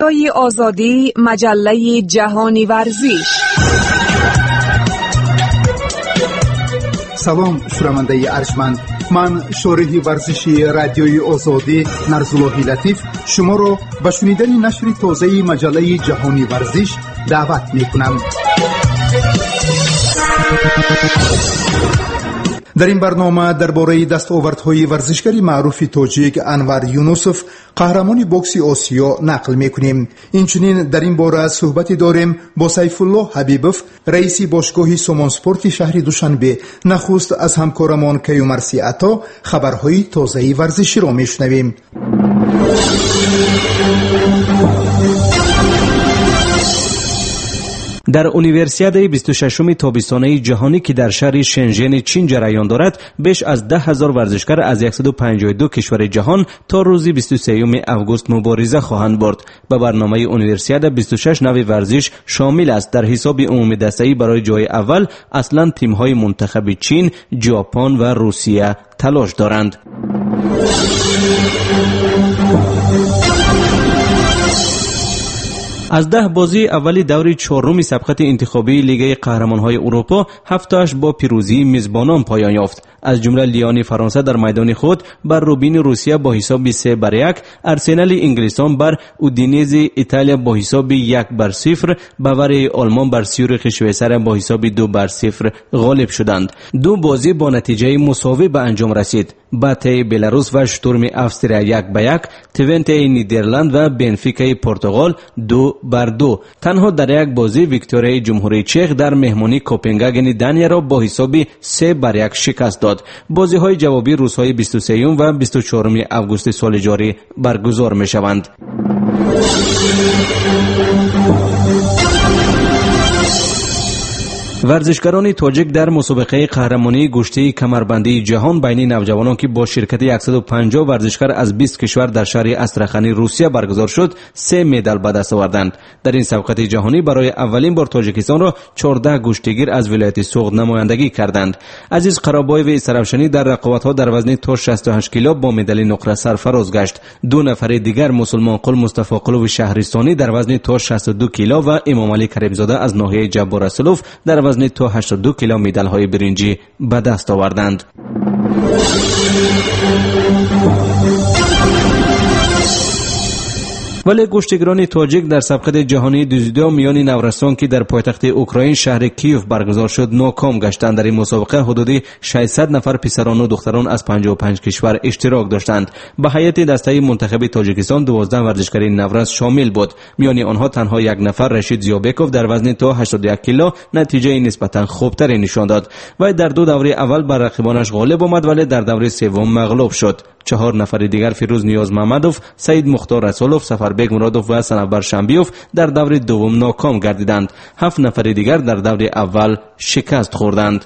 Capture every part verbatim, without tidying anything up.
Радиои Озодӣ, маҷаллаи ҷаҳони варзиш. Салом, шунавандаи арҷманд. Ман шориҳи варзиши Радиои Озодӣ Нарзуллоҳи Латиф шуморо ба шунидани нашри тозаи маҷаллаи ҷаҳони варзиш даъват мекунам. Дар ин барнома дар бораи дастовардҳои варзишгари маъруфи тоҷик Анвар Юнусов, қаҳрамони бокси Осиё, нақл мекунем. Инчунин дар ин бора суҳбате дорем бо Сайфуллоҳ Ҳабибов, раиси бошгоҳи Сомонспорти шаҳри Душанбе. Нахуст аз ҳамкорамон Каюмарси Ато хабарҳои тозаи варзиширо мешунавем. Дар универсиадаи бисту шашуми тобистонаи ҷаҳонӣ, ки дар шаҳри Шенжени Чин ҷараён дорад, беш аз даҳ ҳазор варзишгар аз яксаду панҷоҳу ду кишвари ҷаҳон то рӯзи бисту сеюми август мубориза хоҳанд бурд. Ба барномаи универсиада бисту шаш навъи варзиш шомил аст. Дар ҳисоби умумидастаӣ барои ҷои аввал аслан тимҳои мунтахаби Чин, Ҷопон ва Русия талош доранд. Аз даҳ бозии аввали даври чоруми сабқати интихобии Лигаи қаҳрамонҳои Аврупо ҳафтоаш бо пирӯзии мизбонон поён ёфт. Аз ҷумла Лиони Фаронса дар майдони худ бар Рубини Русия бо ҳисоби се бар як, Арсенали Инглистон бар Удинези Италия бо ҳисоби як бар сифр, Баварияи Олмон бар Сюрихи Швейтсария бо ҳисоби ду бар сифр ғолиб шуданд. Ду бозӣ бо натиҷаи мусовӣ ба анҷом расид. Батаи Беларус ва Штурми Австрия як ба як, Твентеи Нидерланд ва Бенфикаи Португал ду бар ду. Танҳо дар як бозӣ Викторияи Ҷумҳурии Чех дар меҳмонии Копенгагени Данияро бо ҳисоби се бар як шикаст дод. Бозиҳои ҷавобӣ рӯзҳои бисту сеюм ва бисту чоруми августи соли ҷорӣ баргузор мешаванд. Варзишгарони тоҷик дар мусобиқаи қаҳрамонии гӯштии камарбандии ҷаҳон байни навҷавонон, ки бо ширкати яксаду панҷоҳ варзишгар аз бист кишвар дар шаҳри Астрахани Русия баргузор шуд, се медал ба даст оварданд. Дар ин сабқати ҷаҳонӣ барои аввалин бор Тоҷикистонро чордаҳ гӯштигир аз вилояти Суғд намояндагӣ карданд. Азиз Қаробоеви Саравшанӣ дар рақобатҳо дар вазни то шасту ҳашт кило бо медали нуқра сарфароз гашт. Ду нафари дигар Мусулмонқул Мустафоқулови шаҳристонӣ дар вазни то шасту ду кило ва Имомалӣ Каримзода аз ноҳияи Ҷаббор Расулов дар вазни то ҳаштоду ду кило медалҳои биринҷӣ ба даст оварданд. Вале гӯштигирони тоҷик дар сабқати ҷаҳонии дзюдо миёни наврасон, ки дар пойтахти Украин шаҳри Киев баргузор шуд, ноком гаштанд. Дар ин мусобиқа ҳудуди шашсад нафар писарону духтарон аз панҷоҳу панҷ кишвар иштирок доштанд. Ба ҳайати дастаи мунтахаби Тоҷикистон дувоздаҳ варзишгари наврас шомил буд. Миёни онҳо танҳо як нафар, Рашид Зиёбеков, дар вазни то ҳаштоду як кило натиҷаи нисбатан хубтаре нишон дод. Вай дар ду даври аввал бар рақибонаш ғолиб омад, вале дар даври севум мағлуб шуд. Чаҳор нафари дигар, Фирӯз Ниёзмамадов, Саид Мухтор Расулов, Сафарбек Муродов ва Санавбар Шамбиев, дар даври дуввум ноком гардиданд. Ҳафт нафари дигар дар даври аввал шикаст хӯрданд.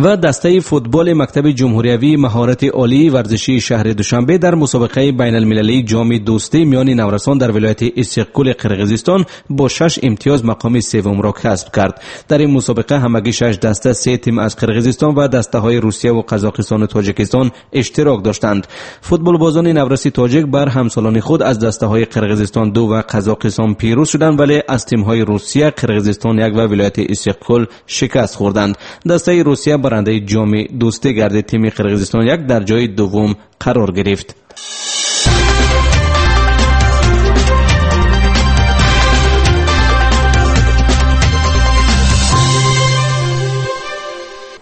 Ва дастаи футболи мактаби ҷумҳуриявии маҳорати олии варзишии шаҳри Душанбе дар мусобиқаи байналмилалии ҷоми дӯстӣ миёни наврасон дар вилояти Иссиқкули Қирғизистон бо шаш имтиёз мақоми севумро касб кард. Дар ин мусобиқа ҳамагӣ шаш даста, се тим аз Қирғизистон ва дастаҳои Русия ва Қазоқистону Тоҷикистон иштирок доштанд. Футболбозони навраси тоҷик бар ҳамсолони худ аз дастаҳои Қирғизистон ду ва Қазоқистон пирӯз шуданд, вале аз тимҳои Русия, Қирғизистон як ва вилояти Иссиқкул шикаст хӯрданд. Дастаи Русия барандаи ҷоми дӯстӣ гардид. Тими Қирғизистон як дар ҷои дуввум қарор гирифт.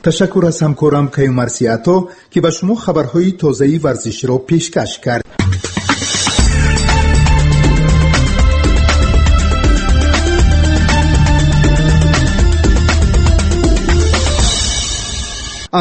Ташаккур аз ҳамкорам Каюмарси Ато, ки ба шумо хабарҳои тозаи варзиширо пешкаш кард.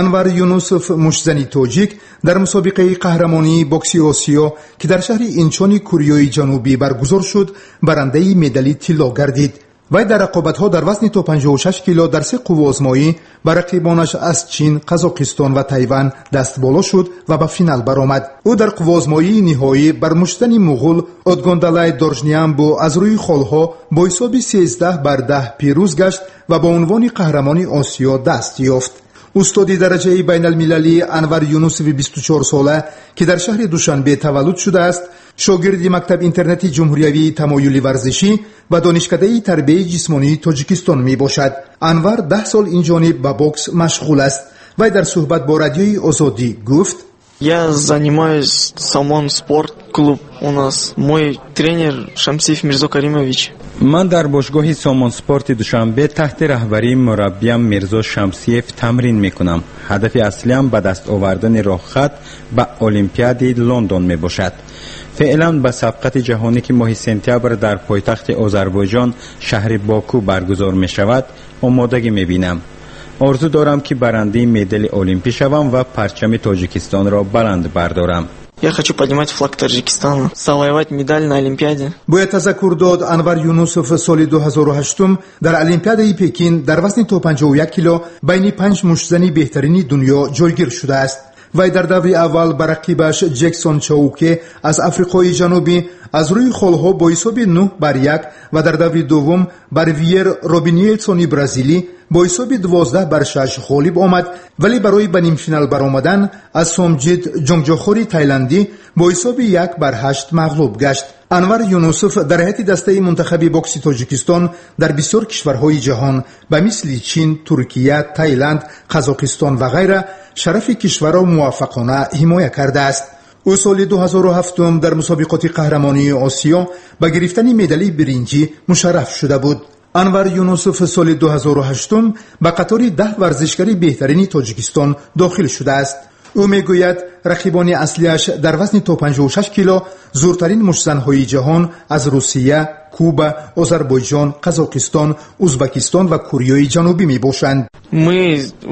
Анвар Юнусов, муштзани тоҷик, дар мусобиқаи қаҳрамонии бокси Осиё, ки дар шаҳри Инчони Кореяи Ҷанубӣ баргузор шуд, барандаи медали тилло гардид. Вай дар рақобатҳо дар вазни то панҷоҳу шаш кило дар се қувваозмоӣ ба рақибонаш аз Чин, Қазоқистон ва Тайван даст боло шуд ва ба финал баромад. Ӯ дар қувваозмоии ниҳоӣ бар муштзани муғул Отгондалай Доржниамбу аз рӯи холҳо бо ҳисоби сездаҳ бар даҳ пирӯз гашт ва ба унвони қаҳрамони Осиё даст ёфт. Устоди дараҷаи байналмилалӣ Анвар Юнусови бисту чор сола, ки дар шаҳри Душанбе таваллуд шудааст, шогирди мактаб-интернати ҷумҳуриявии тамоюли варзишӣ ва донишкадаи тарбияи ҷисмонии Тоҷикистон мебошад. Анвар даҳ сол инҷониб ба бокс машғул аст. Вай дар суҳбат бо Радиои Озодӣ гуфт: Я занимаюсь Сомон спорт клуб у нас. Мой тренер Шамсиев Мирзо Каримович. Ман дар бошгоҳи Сомон спорти Душанбе таҳти раҳбарии мураббиям Мирзо Шамсиев тамрин мекунам. Ҳадафи аслиам ба даст овардани роҳхат ба Олимпиади Лондон мебошад. Феълан ба сабқати ҷаҳонӣ, ки моҳи сентябр дар пойтахти Озарбойҷон шаҳри Боку баргузор мешавад, омодагӣ мебинам. Орзу дорам, ки барандаи медали олимпӣ шавам ва парчами Тоҷикистонро баланд бардорам. Я хочу поднимать флаг Таджикистана, завоевать медаль на Олимпиаде. Бояд тазаккур дод, Анвар Юнусов соли ду ҳазору ҳаштум дар Олимпиадаи Пекин дар вазни то панҷоҳу як кило байни панҷ муштзани беҳтарини дунё ҷойгир шудааст. Вай дар даври аввал ба рақибаш Ҷексон Чауке аз Африқои Ҷанубӣ аз рӯи холҳо бо ҳисоби нӯҳ бар як ва дар даври дуввум бар Виер Робиниелсони бразилӣ бо ҳисоби дувоздаҳ бар шаш ғолиб омад, вале барои ба нимфинал баромадан аз Сомҷид Ҷонгҷохори тайландӣ бо ҳисоби як бар ҳашт мағлуб гашт. Анвар Юнусов дар ҳайати дастаи мунтахаби бокси Тоҷикистон дар бисёр кишварҳои ҷаҳон ба мисли Чин, Туркия, Тайланд, Қазоқистон ва ғайра шарафи кишварро муваффақона ҳимоя кардааст. Ӯ соли ду ҳазору ҳафтум дар мусобиқоти қаҳрамонии Осиё ба гирифтани медали биринҷӣ мушарраф шуда буд. Анвар Юнусов соли ду ҳазору ҳаштум ба қатори даҳ варзишгари беҳтарини Тоҷикистон дохил шудааст. Ӯ мегӯяд, рақибони аслиаш дар вазни то панҷоҳу шаш кило зуртарин муштзанҳои ҷаҳон аз Русия, Куба, Озарбойҷон, Қазоқистон, Узбакистон ва Кореяи Ҷанубӣ мебошанд. Мы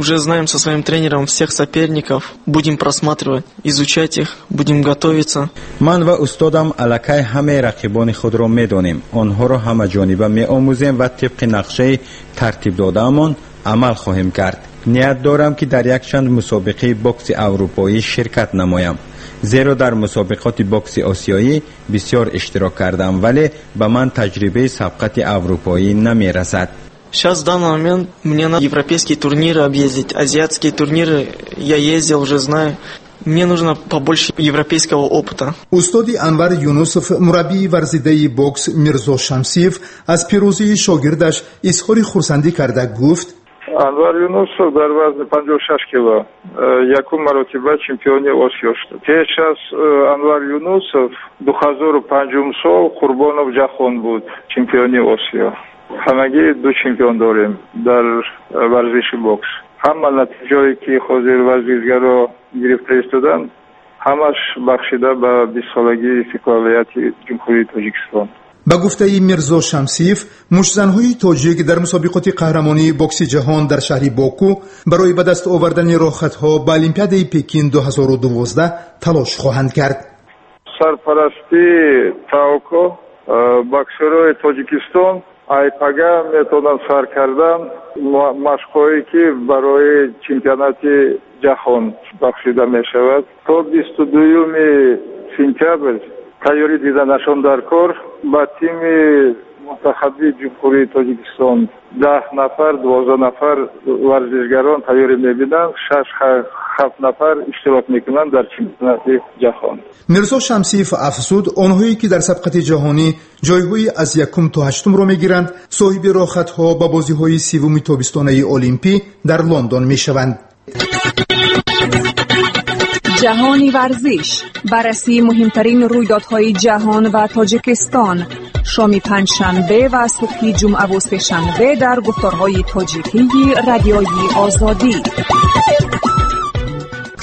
уже знаем со своим тренером всех соперников, будем просматривать, изучать их, будем готовиться. Ман ва устодам аллакай ҳамаи рақибони худро медонем. Онҳоро ҳамаҷониба меомӯзем ва тибқи нақшаи тартиб додаамон амал хоҳем кард. Ният дорам, ки дар якчанд мусобиқаи бокси аврупоӣ ширкат намоям, зеро дар мусобиқоти бокси осиёӣ бисёр иштирок кардам, вале ба ман таҷрибаи сабқати аврупоӣ намерасад. Сейчас в данный момент мне надо европейские турниры объездить, азиатские турниры я ездил, уже знаю. Мне нужно побольше европейского опыта. Устоди Анвар Юнусов, мураббии варзидаи бокс Мирзо Шамсиев аз пирӯзии шогирдаш изҳори хурсандӣ карда гуфт: Анвар Юнусов дар вазни панҷоҳу шаш кило якум маротиба чемпиони Осиё шуд. Пеш аз Анвар Юнусов ду ҳазору панҷум сол Қурбонов Ҷаҳон буд чемпиони Осиё. Ҳамагӣ ду чемпион дорем дар варзиши бокс. Ҳама натиҷое, ки ҳозир варзишгаро гирифта истоданд, ҳамаш бахшида ба бистсолагии истиқлолияти Ҷумҳурии Тоҷикистон. Ба гуфтаи Мирзо Шамсиев, муштзанҳои тоҷик дар мусобиқоти қаҳрамонии бокси ҷаҳон дар шаҳри Боку барои ба даст овардани роҳхатҳо ба Олимпиадаи Пекин ду ҳазору дувоздаҳ талош хоҳанд кард. Сарпарастии ТАОКО боксерҳои Тоҷикистон айпага метавонанд сар кардан машқҳое, ки барои чемпионати ҷаҳон бахшида мешавад. То бисту дуюми сентябр тайёрӣ диданашон дар кор. Ба тими мунтахаби Ҷумҳурии Тоҷикистон даҳ нафар, дувоздаҳ нафар варзишгарон тайёрӣ мебинанд, шаш ҳафт нафар иштирок мекунанд дар чемпионати ҷаҳон. Мирзо Шамсиев афзуд, онҳое ки дар сабқати ҷаҳонӣ ҷойҳои аз якум то ҳаштумро мегиранд, соҳиби роҳхатҳо ба бозиҳои севуми тобистонаи олимпӣ дар Лондон мешаванд. Ҷаҳони варзиш, баррасии муҳимтарин рӯйдодҳои ҷаҳон ва Тоҷикистон, шоми панҷшанбе ва субҳи ҷумъаву сешанбе дар гуфторҳои тоҷикии Радиои Озодӣ.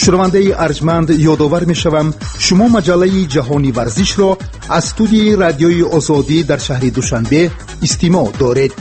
Шунавандаи арҷманд, ёдовар мешавам, шумо маҷаллаи ҷаҳони варзишро аз студияи Радиои Озодӣ дар шаҳри Душанбе истимоъ доред.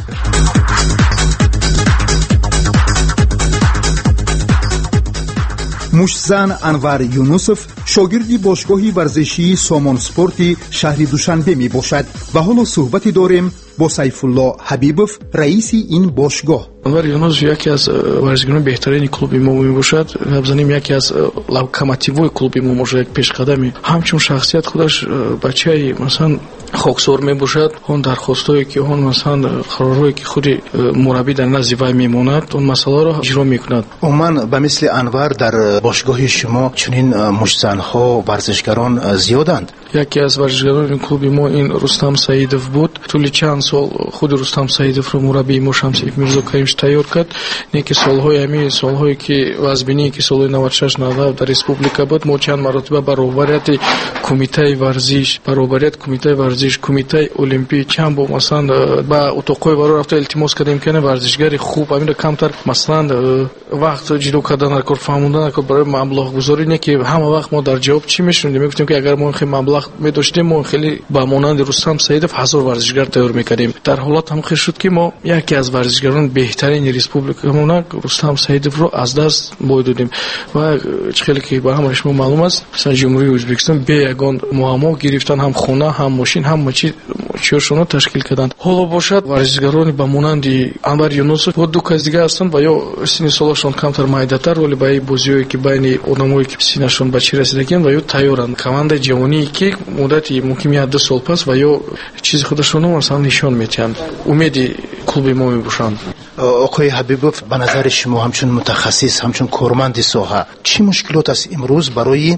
Муштзан Анвар Юнусов шогирди бошгоҳи варзишии Сомон спорти шаҳри Душанбе мебошад ва ҳоло суҳбате дорем Бо Сайфулло Ҳабибов, раиси ин бошгоҳ. Анвар Юнусов яке аз варзишгарони беҳтарини клуби мо мебошад. Гап занем, яке аз локомотивҳои клуби мо мебошад, як пешқадами. Ҳамчун шахсият худаш бачаи, масалан, хоксор мебошад. Он дархостҳое ки, он, масалан, қарорҳое ки худи мураббӣ дар назди вай мемонад, он масъаларо иҷро мекунад. Умуман, ба мисли Анвар дар бошгоҳи шумо чунин муштзанҳо, варзишгарон зиёданд? Яке аз варзишгарони клуби мо ин Рустам Саидов буд. Тӯли чанд сол худи Рустам Саидовро мураббии мо Шамсиев Мирзо Каримович тайёр кард. Не ки солҳои, ҳамин солҳое ки вазбиние ки солҳои наваду шаш, наваду ҳафт дар республика буд, мо чанд маротиба ба роҳбарияти кумитаи варзиш, ба роҳбарияти кумитаи варзиш, кумитаи олимпӣ чанд бор, масалан, ба утоқҳои варо рафта илтимос кардем, ки варзишгари хуб ҳаминро камтар, масалан, вақт ҷудо кардан дар кор, фаҳмондан дар кор барои маблағгузорӣ. Не ки ҳама вақт мо дар ҷавоб чӣ мешунидем? Мегуфтем, ки агар мо хеле маблағ медоштем, мо хеле ба монанди Рустам Саидов ҳазор варзишгар тайёр мекардем. Дар ҳолат ҳам хел шуд, ки мо яке аз варзишгарони беҳтарини республикамона Рустам Саидовро аз даст бой додем. Ва чӣ хеле ки ба ҳамаи шумо маълум аст, масалан, Ҷумҳурии Ӯзбекистон бе ягон муаммо гирифтан ҳам хона, ҳам мошин, ҳама чи чиёшонро ташкил карданд. Ҳоло бошад, варзишгарони ба монанди Анвар Юнусов бо ду кас дига ҳастанд ва ё синни солашон камтар, майдатар, вале ба ин бозиҳое ки байни одамое ки синнашон ба чӣ расидагианд ва ё тайёранд. Командаи ҷавоние ки муддати мумкин як ду сол пас ва ё чизи худашонро, масалан, нишон медиҳанд, умеди клуби мо мебошанд. Оқои Ҳабибов, ба назари шумо, ҳамчун мутахассис, ҳамчун корманди соҳа, чӣ мушкилот аст имрӯз барои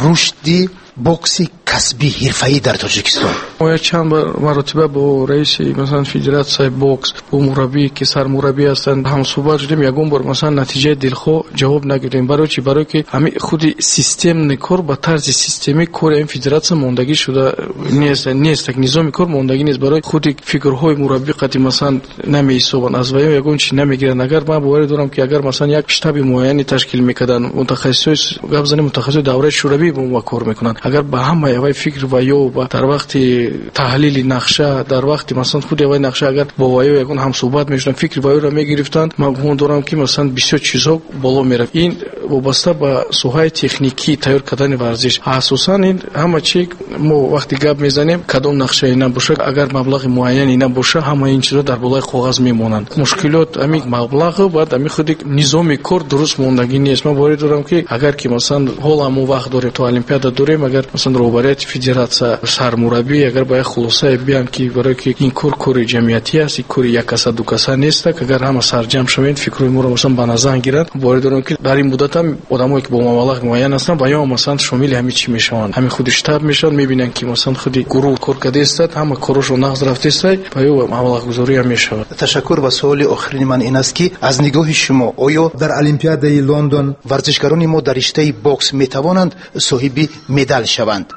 рушди бокси касбӣ, ҳирфаӣ дар Тоҷикистон? Мо чанд маротиба бо раиси, масалан, федератсияи бокс, бо мураббие ки сармураббӣ ҳастанд, ҳамсӯҳбат шудем. Ягон бор, масалан, натиҷаи дилхоҳ ҷавоб нагирдем. Барои чӣ? Барое ки ҳами худи системный кор, ба тарзи системӣ кори ҳамин федератсия мондагӣ шуда нест нест так низоми кор мондагӣ нест. Барои худи фикрҳои мураббӣ қати, масалан, намеҳисобанд, аз ваё ягон чи намегиранд. Агар ман боварӣ дорам, ки агар, масалан, як штаби муайяне ташкил мекарданд, мутахассисҳои, гап занем, мутахассисҳои давраи шӯравӣ бо мо кор мекунанд, агар ба ҳамаи авай фикр ва ё дар вақти таҳлили нақша, дар вақти, масалан, худи авай нақша, агар бо ваё ягон ҳамсӯҳбат мешуданд, фикри ваёро мегирифтанд, ман гумон дорам, ки, масалан, бисёр чизҳо боло мерафт. Ин вобаста ба соҳаи техникӣ тайёр кардани варзиш, асосан ин ҳама чи мо вақте гап мезанем, кадом нақшае набошад, агар маблағи муайяне набошад, ҳамаи ин чизҳо дар болои коғаз мемонанд. Мушкилот ҳамин маблағу баъд ҳамин худи низоми кор дуруст мондагӣ нест. Ман боварӣ дорам, ки агар ки, масалан, ҳоло мо вақт дорем, то олимпиада дорем, агар, масалан, роҳбарияти федератсия, сармураббӣ агар ба як хулосае биям, ки барое ки ин кор кори ҷамъиятӣ аст, ин кори як каса, ду каса нест, агар ҳама сарҷамъ шавем, фикрҳои моро, масалан, ба назар гиранд, боварӣ дорам, ки дар ин муддат ҳам одамое ки бо маблағи муайян ҳастанд ва ё, масалан, шомили ҳамин чӣ мешаванд, ҳамин худи штаб мешаванд, мебинанд, ки, масалан, худи гурӯҳ кор кардаистад, ҳама корошон нағз рафтаистад ва ё маблағгузорӣ ҳам мешавад. Ташаккур. Ва суоли охирини ман ин аст, ки аз нигоҳи шумо, оё дар Олимпиадаи Лондон варзишгарони мо дар риштаи бокс метавонанд соҳиби медал шаванд?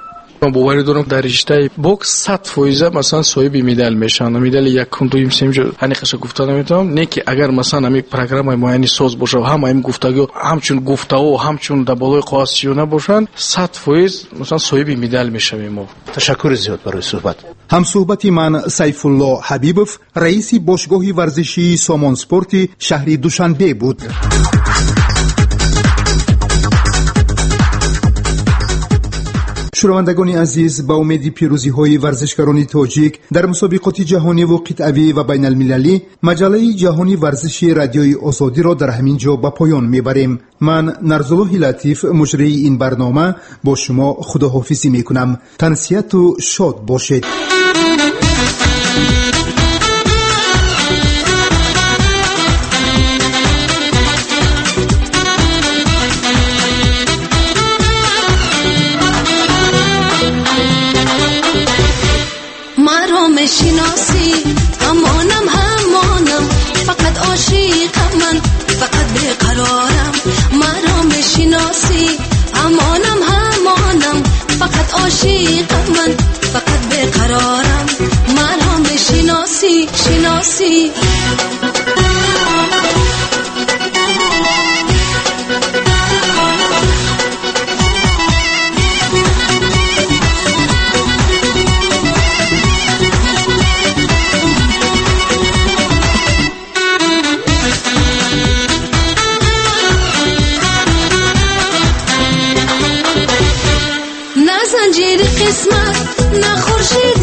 Ман боварӣ дорам, дар риштаи бокс сад фоиза, масалан, соҳиби медал мешаванд. Медали якум, дуюм, сеюм ҳаниқаша гуфта наметавонам. Не ки агар, масалан, ҳамин программаи муайяни соз бошад, ҳама ҳамин гуфтагиҳо ҳамчун гуфтаҳо, ҳамчун дар болои коғаз чиё набошанд, сад фоиз, масалан, соҳиби медал мешавем мо. Ташаккури зиёд барои суҳбат. Ҳамсӯҳбати ман Сайфулло Ҳабибов, раиси бошгоҳи варзишии Сомонспорти шаҳри Душанбе буд. Шунавандагони азиз, ба умеди пирӯзиҳои варзишгарони тоҷик дар мусобиқоти ҷаҳониву қитъавӣ ва байналмилалӣ, маҷаллаи ҷаҳони варзиши Радиои Озодиро дар ҳамин ҷо ба поён мебарем. Ман, Нарзуллоҳи Латиф, муҷрии ин барнома, бо шумо худоҳофизӣ мекунам. Тансиҳату шод бошед. Мешиноси, ҳамонам, ҳамонам, фақат ошиқам ман, фақат беқарорам. Маро мешиноси, ҳамонам, ҳамонам, фақат ошиқам ман, фақат беқарорам. Маро мешиноси, шиноси. Занҷири қисмат, на хуршид.